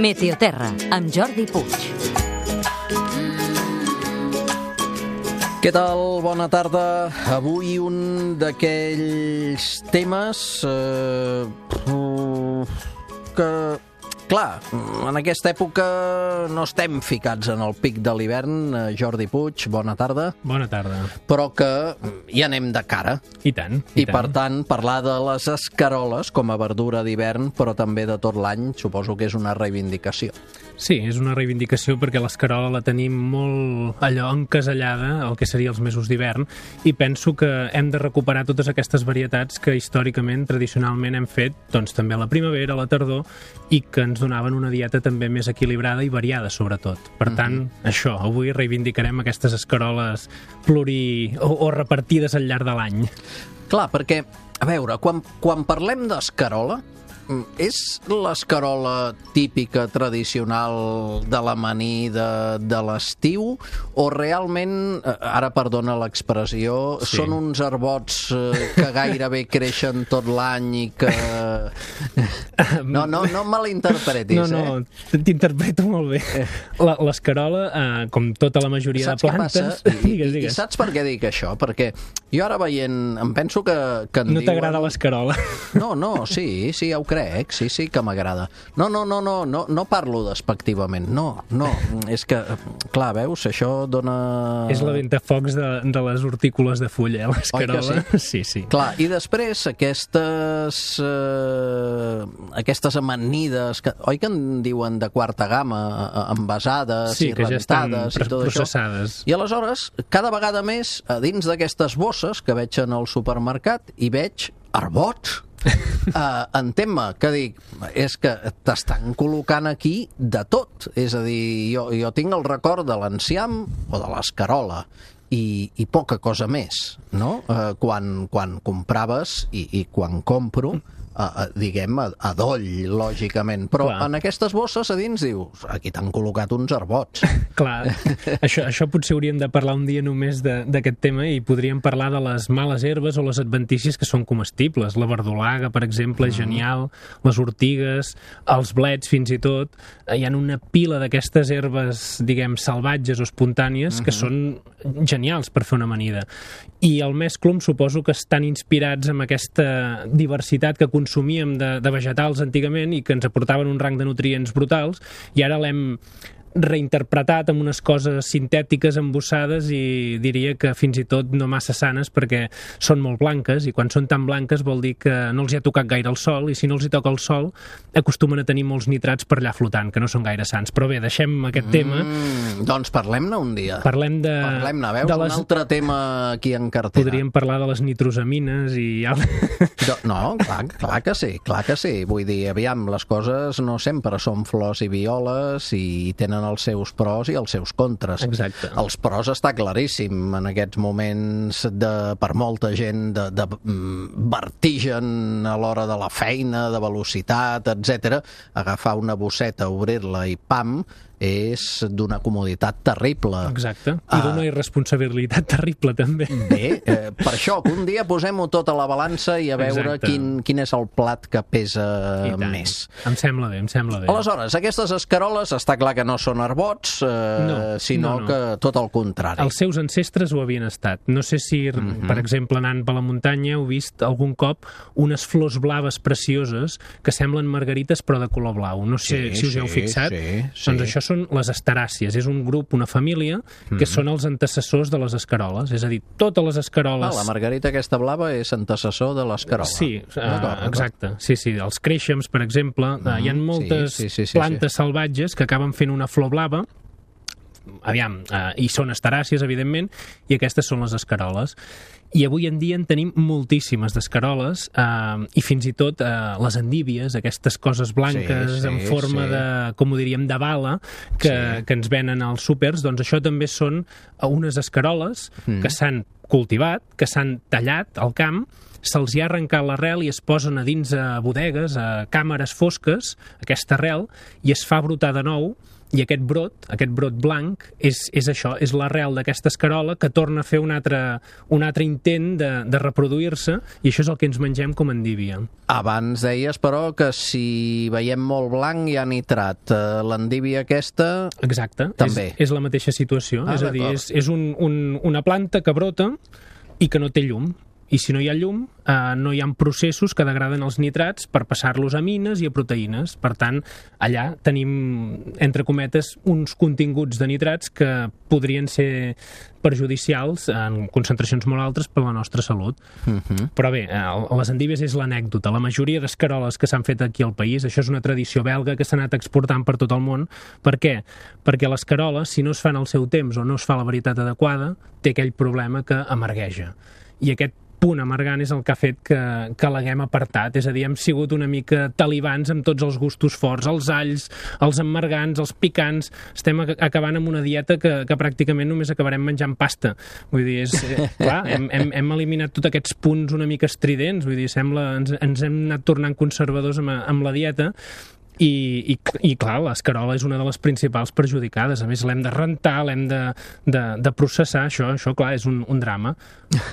Meteoterra, amb Jordi Puig. Què tal? Bona tarda. Avui un d'aquells temes que, clar, en aquesta època no estem ficats en el pic de l'hivern. Jordi Puig, bona tarda. Bona tarda. Però que hi anem de cara. I tant. I per tant, parlar de les escaroles com a verdura d'hivern, però també de tot l'any, suposo que és una reivindicació. Sí, és una reivindicació perquè l'escarola la tenim molt allò encasellada, el que seria els mesos d'hivern, i penso que hem de recuperar totes aquestes varietats que històricament, tradicionalment hem fet, doncs també a la primavera, a la tardor, i que ens donaven una dieta també més equilibrada i variada, sobretot. Per tant, això, avui reivindicarem aquestes escaroles o repartides al llarg de l'any. Clar, perquè, a veure, quan parlem d'escarola, és l'escarola típica, tradicional de l'amanir de l'estiu, o realment, ara perdona l'expressió, sí, són uns arbots que gairebé creixen tot l'any i que... No malinterpretis, No, t'interpreto molt bé. L'escarola, com tota la majoria de plantes... Digues. I saps per què dic això? Perquè jo ara veient, em penso que en no t'agrada l'escarola? No, sí, ja ho crec, sí que m'agrada. No parlo despectivament, no, és que, clar, veus, això dona... És la ventafocs de les hortícoles de fulla, l'escarola. Oi que sí? Sí. Clar, i després aquestes amanides, oi que en diuen de quarta gamma, envasades i rentades, ja estan i tot processades. Això. I aleshores, cada vegada més, a dins d'aquestes bosses que veig en el supermercat, hi veig arbots. Entén-me, que dic, és que t'estan col·locant aquí de tot. És a dir, jo tinc el record de l'enciam o de l'escarola i poca cosa més, no? Quan compraves i quan compro, diguem, a doll, lògicament. Però clar, en aquestes bosses a dins dius, aquí t'han col·locat uns arbots. Clar, això potser hauríem de parlar un dia només d'aquest tema i podríem parlar de les males herbes o les adventícies que són comestibles. La verdolaga, per exemple, és genial, les ortigues, els blets fins i tot. Hi ha una pila d'aquestes herbes, diguem, salvatges o espontànies que són genials per fer una amanida. I el mesclum suposo que estan inspirats en aquesta diversitat que consumíem de vegetals antigament i que ens aportaven un rang de nutrients brutals, i ara l'hem reinterpretat amb unes coses sintètiques embossades i diria que fins i tot no massa sanes perquè són molt blanques, i quan són tan blanques vol dir que no els hi ha tocat gaire el sol, i si no els hi toca el sol acostumen a tenir molts nitrats per allà flotant, que no són gaire sants. Però bé, deixem aquest tema. Doncs parlem-ne un dia. Parlem-ne, veus? Un altre tema aquí en cartera. Podríem parlar de les nitrosamines i... No, clar que sí. Vull dir, aviam, les coses no sempre són flors i violes i tenen els seus pros i els seus contres. Exacte. Els pros està claríssim en aquests moments per molta gent de vertigen a l'hora de la feina, de velocitat, etc. Agafar una bosseta, obrir-la i pam, és d'una comoditat terrible. Exacte, i d'una irresponsabilitat terrible també. Bé, per això que un dia posem-ho tot a la balança i a veure quin és el plat que pesa més. Em sembla bé. Aleshores, aquestes escaroles està clar que no són arbots, sinó que tot el contrari. Els seus ancestres ho havien estat. No sé si, per exemple, anant per la muntanya heu vist algun cop unes flors blaves precioses que semblen margarites però de color blau. No sé si us heu fixat. Doncs això són les asteràcies. És un grup, una família, que són els antecessors de les escaroles. És a dir, totes les escaroles... La margarita aquesta blava és antecessor de l'escarola. Sí, exacte. Sí, els créixems, per exemple. Hi ha moltes plantes salvatges que acaben fent una flor blava. Aviam, i són asteràcies, evidentment, i aquestes són les escaroles. I avui en dia en tenim moltíssimes d'escaroles, i fins i tot les endívies, aquestes coses blanques en forma de, com ho diríem, de bala, que ens venen als súpers. Doncs això també són unes escaroles que s'han cultivat, que s'han tallat al camp, se'ls hi ha arrencat l'arrel i es posen a dins a bodegues, a càmeres fosques, aquesta arrel, i es fa brotar de nou i aquest brot blanc és això, és l'arrel d'aquesta escarola que torna a fer un altre intent de reproduir-se, i això és el que ens mengem com a endívia. Abans deies, però, que si veiem molt blanc hi ha nitrat. L'endívia aquesta... Exacte, també. És la mateixa situació. És a dir, és una planta que brota i que no té llum. I si no hi ha llum, no hi ha processos que degraden els nitrats per passar-los a amines i a proteïnes. Per tant, allà tenim, entre cometes, uns continguts de nitrats que podrien ser perjudicials en concentracions molt altes per a la nostra salut. Però bé, les endívies és l'anècdota. La majoria d'escaroles que s'han fet aquí al país, això és una tradició belga que s'ha anat exportant per tot el món. Per què? Perquè l'escarola, si no es fa en el seu temps o no es fa a la varietat adequada, té aquell problema que amargueja. I aquest punt amargant és el que ha fet que l'haguem apartat. És a dir, hem sigut una mica talibans amb tots els gustos forts, els alls, els emmargants, els picants. Estem acabant amb una dieta que pràcticament només acabarem menjant pasta. Vull dir, clar, hem eliminat tots aquests punts una mica estridents. Vull dir, sembla, ens hem anat tornant conservadors amb la dieta. I clar, l'escarola és una de les principals perjudicades. A més, l'hem de rentar, l'hem de processar. Això clar, és un drama.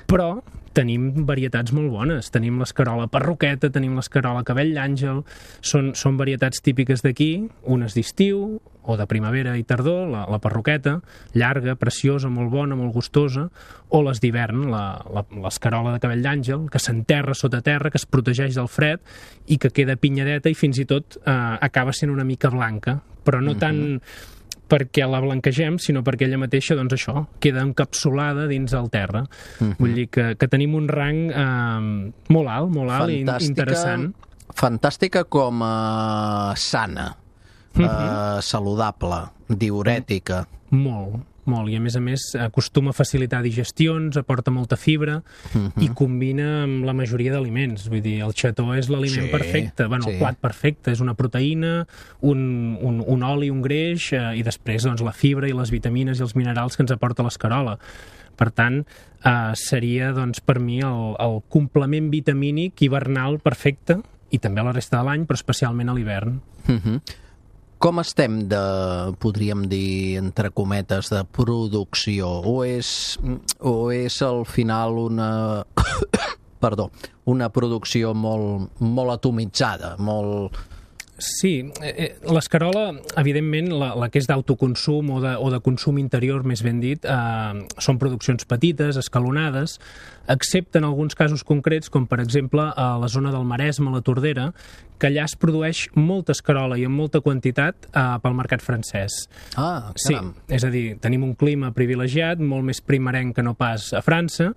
Però tenim varietats molt bones. Tenim l'escarola perroqueta, tenim l'escarola cabell d'àngel. Són varietats típiques d'aquí, unes d'estiu o de primavera i tardor, la perroqueta, llarga, preciosa, molt bona, molt gustosa, o les d'hivern, l'escarola de cabell d'àngel, que s'enterra sota terra, que es protegeix del fred i que queda pinyadeta i fins i tot acaba sent una mica blanca, però no tant perquè la blanquegem, sinó perquè ella mateixa, doncs això, queda encapsulada dins el terra. Vull dir que tenim un rang molt alt i interessant. Fantàstica com a sana, saludable, diurètica. Molt. I a més acostuma a facilitar digestions, aporta molta fibra i combina amb la majoria d'aliments. Vull dir, el xató és l'aliment perfecte, el plat perfecte, és una proteïna, un oli, un greix, i després doncs, la fibra i les vitamines i els minerals que ens aporta l'escarola. Per tant, seria doncs, per mi el complement vitamínic hivernal perfecte, i també a la resta de l'any, però especialment a l'hivern. Com estem podríem dir, entre cometes, de producció? O és al final una producció molt atomitzada, molt... Sí, l'escarola, evidentment, la que és d'autoconsum o de consum interior, més ben dit, són produccions petites, escalonades, excepte en alguns casos concrets, com per exemple a la zona del Maresme, a la Tordera, que allà es produeix molta escarola i en molta quantitat pel mercat francès. Ah, caram. Sí, és a dir, tenim un clima privilegiat, molt més primerenc que no pas a França,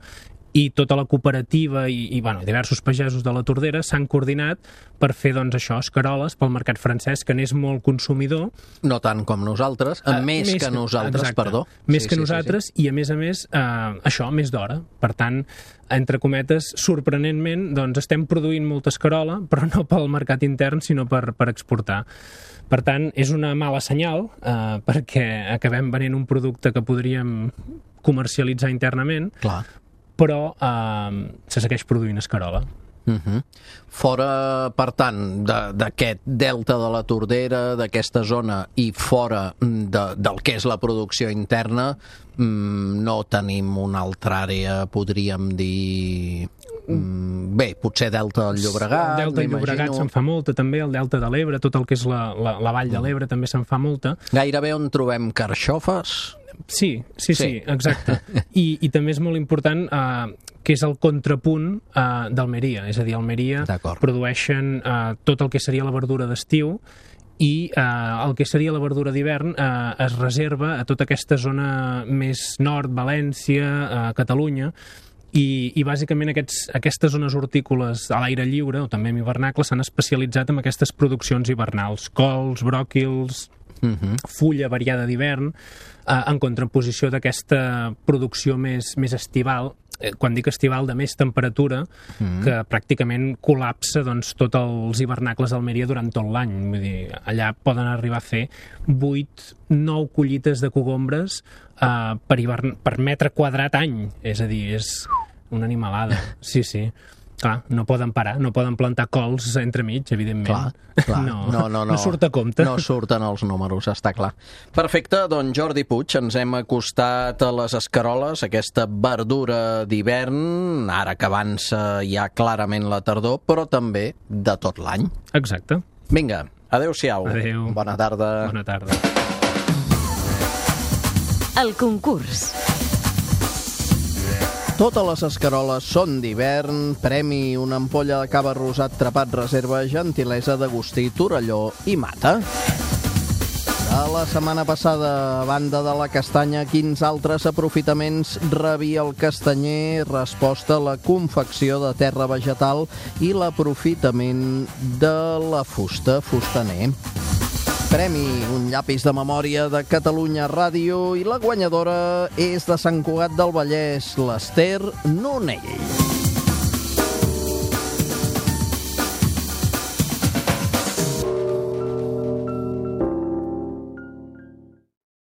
i tota la cooperativa i diversos pagesos de la Tordera s'han coordinat per fer, doncs, això, escaroles pel mercat francès, que n'és molt consumidor. No tant com nosaltres, més que nosaltres, exacte, perdó. Més que nosaltres, i a més, això, més d'hora. Per tant, entre cometes, sorprenentment, doncs, estem produint molta escarola, però no pel mercat intern, sinó per exportar. Per tant, és una mala senyal, perquè acabem venent un producte que podríem comercialitzar internament, clar, però se segueix produint escarola. Fora, per tant, d'aquest delta de la Tordera, d'aquesta zona, i fora del que és la producció interna, no tenim una altra àrea, podríem dir... Bé, potser delta del Llobregat, el delta del Llobregat se'n fa molta, també el delta de l'Ebre, tot el que és la vall de l'Ebre també se'n fa molta. Gairebé on trobem carxofes? Sí, exacte. I també és molt important que és el contrapunt d'Almeria. És a dir, a Almeria produeixen tot el que seria la verdura d'estiu i el que seria la verdura d'hivern es reserva a tota aquesta zona més nord, València, Catalunya, i bàsicament aquestes zones hortícoles a l'aire lliure, o també en hivernacle, s'han especialitzat en aquestes produccions hivernals, cols, bròquils, fulla variada d'hivern, en contraposició d'aquesta producció més estival, quan dic estival, de més temperatura, que pràcticament col·lapsa doncs, tots els hivernacles d'Almeria durant tot l'any. Vull dir, allà poden arribar a fer 8-9 collites de cogombres per metre quadrat any. És a dir, és una animalada. Sí. Clar, no poden parar, no poden plantar cols entremig, evidentment. Clar. No surt a compte. No surten els números, està clar. Perfecte, doncs Jordi Puig, ens hem acostat a les escaroles, aquesta verdura d'hivern, ara que avança ja clarament la tardor, però també de tot l'any. Exacte. Vinga, adeu-siau. Adeu. Bona tarda. Bona tarda. El concurs. Totes les escaroles són d'hivern. Premi una ampolla de cava rosat trepat reserva, gentilesa d'Agustí Torelló i Mata. De la setmana passada, a banda de la castanya, quins altres aprofitaments rebia el castanyer? Resposta: la confecció de terra vegetal i l'aprofitament de la fusta, fustaner. Premi un llapis de memòria de Catalunya Ràdio i la guanyadora és de Sant Cugat del Vallès, l'Ester Nonell.